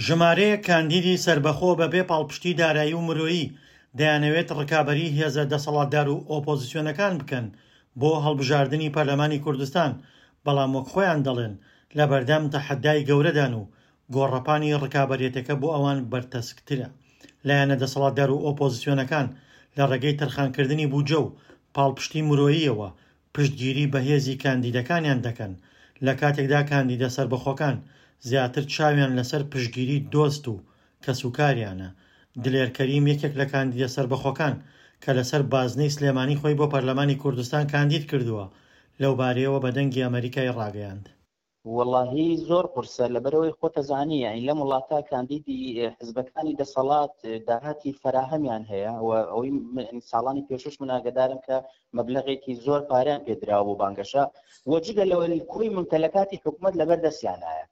ژمارەیەک کاندیدی سەربەخۆ بەبێ پاڵپشتی دارایی و مرۆیی دەیانەوێت ڕکابەری هێزە دەسەڵاتدار و ئۆپۆزسیۆنەکان بکەن بۆ هەڵبژاردنی پەرلەمانی کوردستان، بەڵام وەک خۆیان دەڵێن لەبەردەم تەحەدای گەورەدان و گۆڕەپانی ڕکابەریەتەکە بۆ ئەوان بەرتەسکترە. لایەنە دەسەڵاتدار و ئۆپۆزسیۆنەکان لە ڕێگەی تەرخانکردنی بودجە و پاڵپشتی مرۆییەوە پشتگیری بەهێزی کاندیدەکانیان دەکەن، لە کاتێکدا کاندیدە سەربەخۆکان زیاتر چاویان لەسەر پشتگیری دۆست و کەسوکاریانە. دلێر کەریم یەکێک لە کاندیدە سەربەخۆکان کە لەسەر بازنەی سلێمانی خۆی بۆ پەرلەمانی کوردستان کاندید کردووە، لەوبارەیەوە بە دەنگی ئەمەریکای ڕاگەیاند. وەڵاهی زۆر قورسە لەبەرئەوەی خۆتەزانی یانی لەم وڵاتە کاندیدی حزبەکانی دەسەڵات داهاتی فەراهەمیان هەیە و ئەوەی ساڵانی پێشوش من ئاگدارم کە مەبلغێکی زۆر پارەیان پێدراوە بۆ بانگەشە و جگە لەوە کۆی ممتەلەکاتی حکومت لەبەر دەستیانایە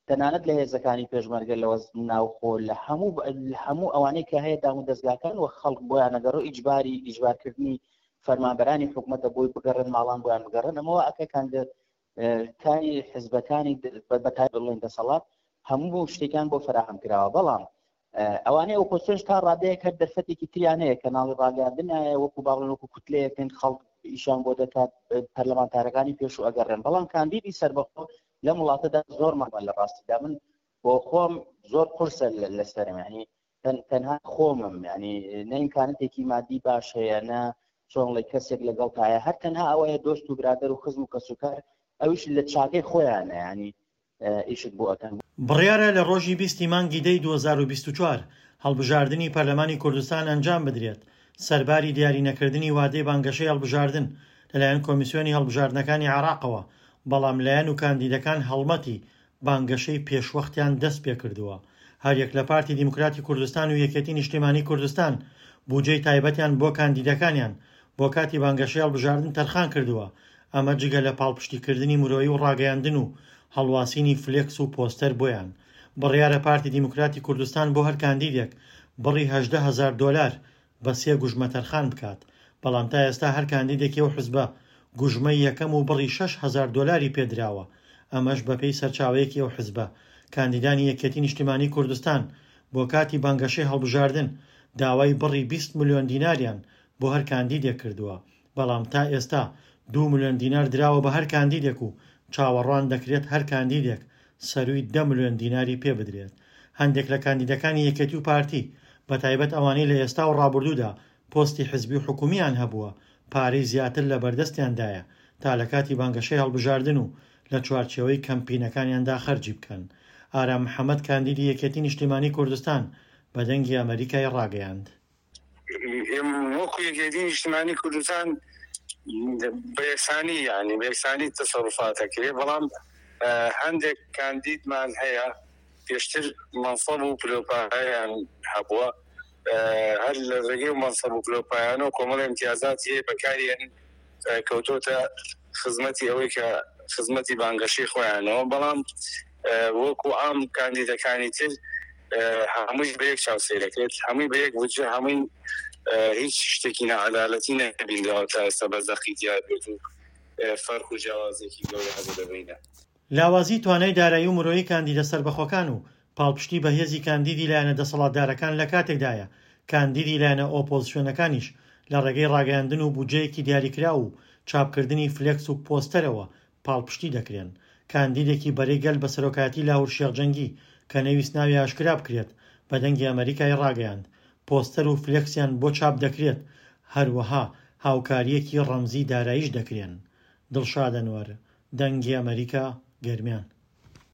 تەنانەت لە هێزەکانی پێشمەرگە لە ناوخۆ لە هەموو هەموو ئەوانەی کە هەیە دام و دەستگاکان و خەڵک بۆیان نەگەڕۆ ئیجباری ئیجبارکردنی فەرمانبەرانی حکومەتە بۆی بگەڕن ماڵان بۆیان بگەڕن ئەمەوە ئەکە کاندە کاری حزبەکانی بەتای بڵێن دەسەڵات هەموو شتێکیان بۆ فراهەم کراوە بەڵام ئەوانەی ئۆپۆزسیۆنش تا ڕادەیەک هەر دەرفەتێکی تریان هەیە کەناڵی ڕاگەاندنایە وەکو باڵێن وەکو کوتلەیەکن خەڵک ئیشان بۆ دەکات پەرلەمانتارەکانی پێشوو ئەگەڕێن بەڵام کاندیدی سەربەخۆ لەم وڵاتەدا زۆر مەمە لە ڕاستیدا من بۆ خۆم زۆر قورسە لەسەرم ینی تەنها خۆمم ینی نە ئیمکانەتێکی مادی باش هەیە نە چۆنڵی کەسێک لەگەڵ تایە هەر تەنها ئەوەیە دۆست و برادەر و خزم و کەسوکار ئەویش لە چاکەی خۆیانە ینی ئیشت بۆ ئەکەن. بڕیارە لە ڕۆژی 20 ی مانگی دەی 2024 هەڵبژاردنی پەرلەمانی کوردستان ئەنجام بدرێت، سەرباری دیارینەکردنی وادەی بانگەشەی هەڵبژاردن لەلایەن کۆمیسیۆنی هەڵبژاردنەکانی عێراقەوە، بەڵام لایەن و کاندیدەکان هەڵمەتی بانگەشەی پێشوەختیان دەستپێکردووە. هەریەک لە پارتی دیموکراتی کوردستان و یەکێتی نیشتیمانی کوردستان بوجەی تایبەتیان بۆ کاندیدەکانیان بۆ کاتی بانگەشەی هەڵبژاردن تەرخان کردووە، ئەمە جگە لە پاڵپشتیکردنی مرۆیی و ڕاگەیاندن و هەڵواسینی فلێکس و پۆستەر بۆیان. بڕیارە پارتی دیموکراتی کوردستان بۆ هەر کاندیدێک بڕی 18 هەزار دۆلار بە سێ گوژمە تەرخان بکات، بەڵام تا ئێستا هەر کاندیدێکی ئەو حزبە گوژمەی یەکەم و بڕی 6000 دۆلاری پێدراوە، ئەمەش بەپێی سەرچاوەیەکی ئەو حزبە، کاندیدانی یەکێتی نیشتیمانی کوردستان بۆ کاتی بانگەشەی هەڵبژاردن داوای بڕی 20 ملیۆن دیناریان بۆ هەر کاندیدێک کردووە، بەڵام تا ئێستا دوو ملیۆن دینار دراوە بە هەر کاندیدێک و چاوەڕوان دەکرێت هەر کاندیدێک سەرووی دە ملیۆن دیناری پێ بدرێت. هەندێک لە کاندیدەکانی یەکێتی و پارتی، بەتایبەت ئەوانەی لە ئێستا و ڕابردوودا پۆستی حزبی و حکومییان هەبووە، پارەی زیاتر لە بەردەستیاندایە تا لە کاتی بانگەشەی هەڵبژاردن و لە چوارچێوەی کەمپینەکانیاندا خەرجی بکەن. ئارام محەمەد کاندیدی یەکێتی نیشتیمانی کوردستان بە دەنگی ئەمەریکای ڕاگەیاند. وەکو یەکێتی نیشتمانی کوردستان بە یەکسانی یعنی بە یەکسانی تەسەروفات ئەکرێ بەڵام هەندێک کاندیدمان هەیە پێشتر مەنسەب و پلۆپایان هەبووە هەر لە ڕێگەی و مەنسەب و پلۆپایانەوە کۆمەڵی امتیازاتی هەیە بەکاریێنن کەوتۆتە خزمەتی ئەوەی کە خزمەتی بانگەشەی خۆیانەوە بەڵام وەکو عام کاندیدەکانی تر هەمووی بە یەک چاو سەیرەکرێت هەمووی بە یەک بودجە هەمووی هیچ شتێکی ناعەدالەتی نەبینراوە تا ئێستا بە زەقی دیار بێت و فەرق و جیاوازێکی گەورە هەبێت لە بەینە. لاوازی توانای دارایی و مرۆیی کاندیدە سەربەخۆکان و پاڵپشتی بەهێزی کاندیدی لایەنە دەسەڵاتدارەکان لە کاتێکدایە کاندیدی لایەنە ئۆپۆزسیۆنەکانیش لە ڕێگەی ڕاگەیاندن و بودجەیەکی دیاریکراو و چاپکردنی فلێکس و پۆستەرەوە پاڵپشتی دەکرێن. کاندیدێکی بەرەی گەل بە سەرۆکایەتی لاهور شێخ جەنگی کە نەیویست ناوی ئاشکرا بکرێت بە دەنگی ئەمەریکای ڕاگەیاند پۆستەر و فلێکسیان بۆ چاپ دەکرێت هەروەها هاوکارییەکی ڕەمزی داراییش دەکرێن. دڵشاد ئەنوەر، دەنگی ئەمەریکا، گەرمیان.